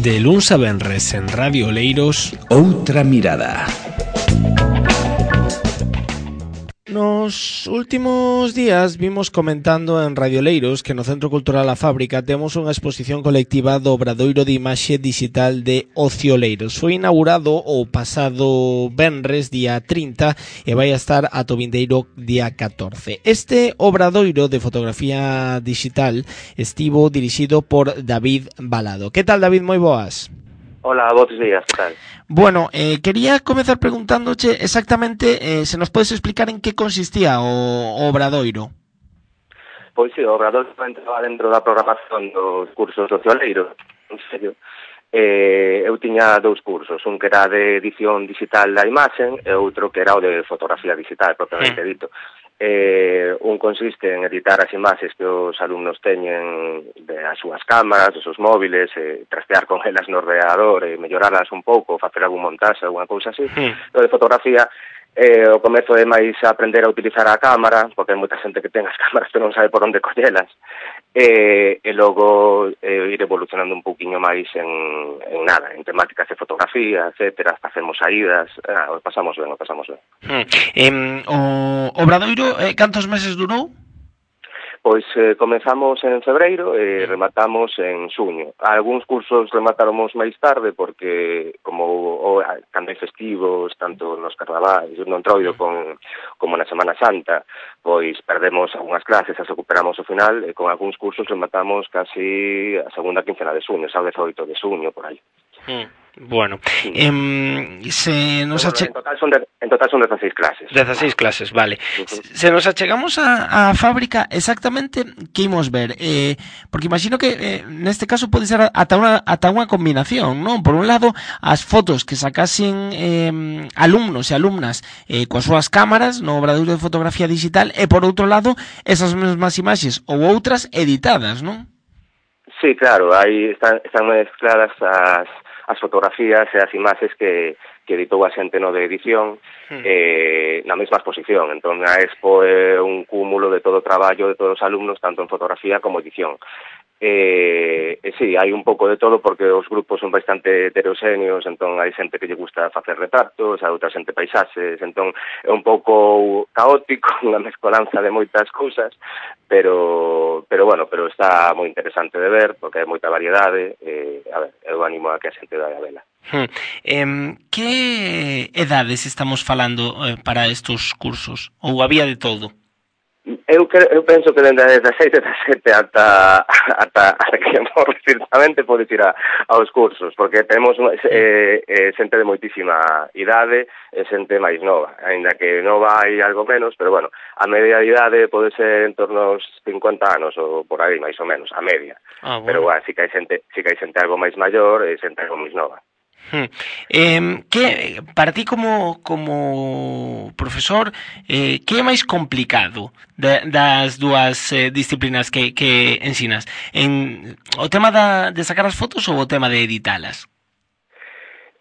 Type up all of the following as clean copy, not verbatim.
De luns a venres en Radio Oleiros, Outra mirada. Nos últimos días vimos comentando en Radio Oleiros que no Centro Cultural A Fábrica temos unha exposición colectiva do Obradoiro de Imaxe Digital de Ocio Oleiros. Foi inaugurado o pasado venres, día 30, e vai a estar ata o vindeiro día 14. Este obradoiro de fotografía digital estivo dirixido por David Balado. Que tal, David? Moi boas. Hola, bons días, que tal? Bueno, quería comezar preguntándoche exactamente se nos podes explicar en que consistía o obradoiro. Pois sí, o obradoiro entraba dentro da programación dos cursos do Oleiros, en serio. Eu tiña dous cursos, un que era de edición digital da imaxen e outro que era o de fotografía digital, propiamente dito. Un consiste en editar as imaxes que os alumnos teñen das súas cámaras, dos seus móviles, trastear con elas no ordenador e melloralas un pouco, facer algún montaxe, alguna cousa así. O de fotografía, o comezo é máis aprender a utilizar a cámara, porque hai moita xente que ten as cámaras pero non sabe por onde collelas, e logo ir evolucionando un pouquiño máis en nada, en temáticas de fotografía, etcétera, facemos saídas, o pasamos ben. O obradoiro, cantos meses durou? Pois comezamos en febreiro e rematamos en xuño. Algúns cursos rematáramos máis tarde porque como cando hai festivos, tanto nos carnavais, no Entroido como na Semana Santa, pois perdemos algunhas clases, as recuperamos ao final e con algúns cursos rematamos casi a segunda quincena de xuño, xa o 18 de xuño, por aí. Bueno, se nos en total son 16 clases. 16 clases, vale. Se nos achegamos a fábrica, exactamente que imos ver? Porque imagino que neste caso pode ser ata unha combinación, non? Por un lado, as fotos que sacasen alumnos e alumnas coas súas cámaras no obradoiro de fotografía digital e por outro lado, esas mesmas imaxes ou outras editadas, non? Sí, claro, aí están mezcladas as fotografías e as imaxes que editou a xente no de edición na mesma exposición. Entón, a expo é un cúmulo de todo o traballo de todos os alumnos, tanto en fotografía como edición. Sí, hai un pouco de todo porque os grupos son bastante heteroxéneos, entón hai xente que lle gusta facer retratos, a outra xente paisaxes, entón é un pouco caótico, unha mezcolanza de moitas cousas, pero está moi interesante de ver porque hai moita variedade, a ver, eu animo a que a xente vai a vela. Que edades estamos falando para estos cursos? Ou había de todo? Eu penso que dende a 16, 17 ata que morre directamente podes ir aos cursos, porque temos xente de moitísima idade e xente máis nova, aínda que nova hai algo menos, pero bueno, a media idade pode ser en torno aos 50 anos ou por aí, máis ou menos, a media. Bueno. Pero bueno, si que hai xente algo máis maior e xente algo máis nova. Que para ti como profesor que é máis complicado das dúas disciplinas que ensinas? O tema de sacar as fotos ou o tema de editalas?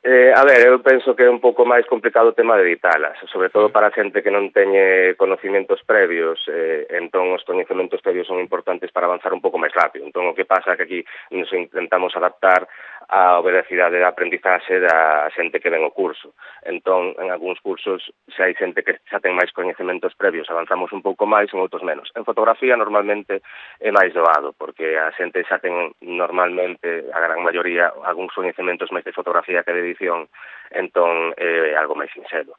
A ver, eu penso que é un pouco máis complicado o tema de editalas, sobre todo para a xente que non teñe conocimientos previos, entón os coñecementos previos son importantes para avanzar un pouco máis rápido. Entón o que pasa é que aquí nos intentamos adaptar a velocidade de aprendizaxe da xente que ven o curso. Entón, en algúns cursos, se hai xente que xa ten máis coñecementos previos, avanzamos un pouco máis, en outros menos. En fotografía, normalmente, é máis doado, porque a xente xa ten, normalmente, a gran maioría, algúns coñecementos máis de fotografía que de edición, entón, é algo máis sinxelo.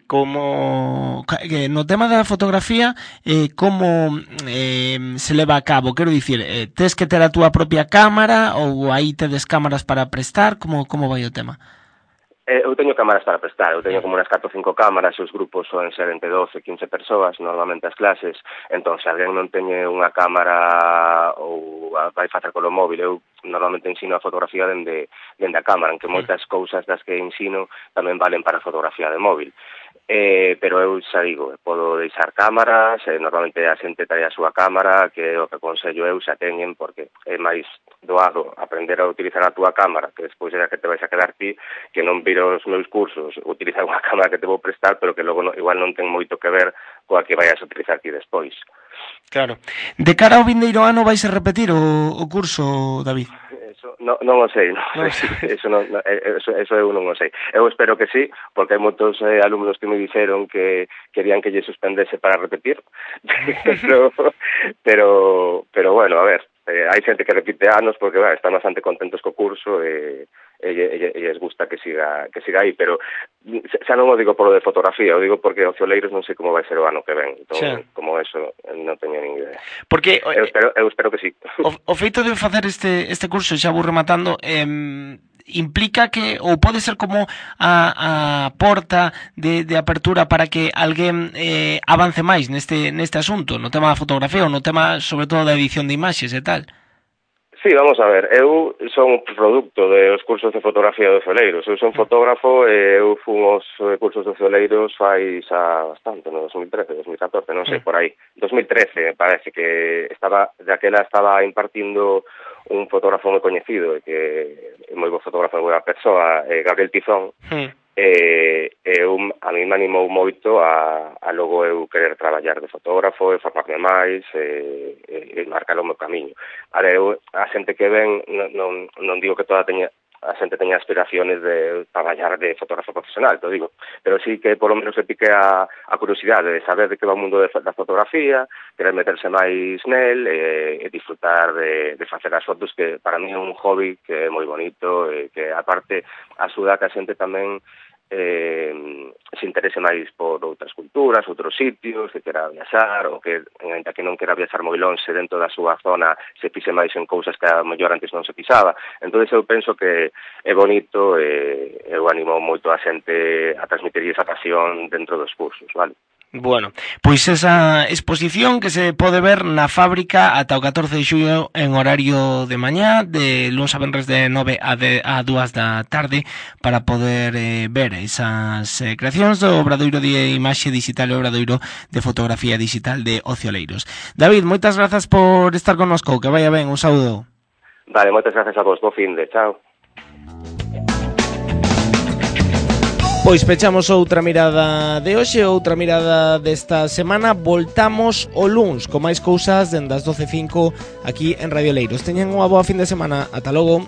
Como no tema da fotografía, como se leva a cabo? Quero dicir, tes que ter a túa propia cámara ou aí tedes cámaras para prestar? Como vai o tema? Eu teño cámaras para prestar, eu teño como unas 4 ou 5 cámaras, e os grupos son ser entre 12 e 15 persoas, normalmente as clases, entón se alguén non teñe unha cámara ou vai facer polo móvil, eu normalmente ensino a fotografía dende a cámara, en que moitas cousas das que ensino tamén valen para fotografía de móvil. Pero eu xa digo, podo deixar cámaras, normalmente a xente trae a súa cámara, que o que aconsello eu xa teñen, porque é máis doado aprender a utilizar a túa cámara, que despois é a que te vais a quedar ti, que non vir os meus cursos, utilizar unha cámara que te vou prestar, pero que logo igual non ten moito que ver coa que vayas a utilizar ti despois. Claro. De cara ao vindeiro ano vais a repetir o curso, David? Non o sei, eso eu non o sei. Eu espero que sí, porque hai moitos alumnos que me dixeron que querían que lle suspendese para repetir, pero bueno, a ver, hai xente que repite anos porque están bastante contentos co curso e lles gusta que siga aí, pero xa non o digo por lo de fotografía, o digo porque Ocioleiros non sei como vai ser o ano que ven, entón, como eso non teño nin idea. Porque eu espero que sí. O feito de facer este curso, xa vou rematando, implica que, ou pode ser como a porta de apertura para que alguén avance máis neste asunto, no tema da fotografía ou no tema, sobre todo, da edición de imaxes e tal? Sí, vamos a ver, eu son un producto dos cursos de fotografía de Ocioleiros. Eu son fotógrafo e eu fun os cursos de Ocioleiros fai xa bastante, no 2013, 2014, non sei, por aí. 2013, parece que daquela estaba impartindo un fotógrafo moi coñecido e que é moi bo fotógrafo, moi boa persoa, Gabriel Tizón. A mí me animou moito a logo eu querer traballar de fotógrafo e formarme máis e marcar o meu camiño. A xente que ven, non digo que a xente teña aspiraciones de traballar de fotógrafo profesional, te digo, pero sí que por lo menos se pique a curiosidade de saber de que va o mundo da fotografía, querer meterse máis nel e disfrutar de facer as fotos, que para mí é un hobby que é moi bonito e que aparte axuda a que a xente tamén se interese máis por outras culturas, outros sitios, que quera viaxar, ou que, ainda que non quera viaxar moi lonxe dentro da súa zona, se pise máis en cousas que a mellor antes non se pisaba. Entón, eu penso que é bonito e eu animo moito a xente a transmitir esa pasión dentro dos cursos, vale? Bueno, pois esa exposición que se pode ver na fábrica ata o 14 de xullo en horario de mañá, de luns a venres de 9 a 2 da tarde, para poder ver esas creacións do Obradoiro de Imaxe Digital e Obradoiro de Fotografía Digital de Ocioleiros. David, moitas grazas por estar connosco, que vaya ben, un saúdo. Vale, moitas grazas a vos, bo fin de, chao. Pois pechamos outra mirada de hoxe, outra mirada desta semana. Voltamos o luns con máis cousas dende as 12:05 aquí en Radio Leiros. Teñen unha boa fin de semana. Ata logo.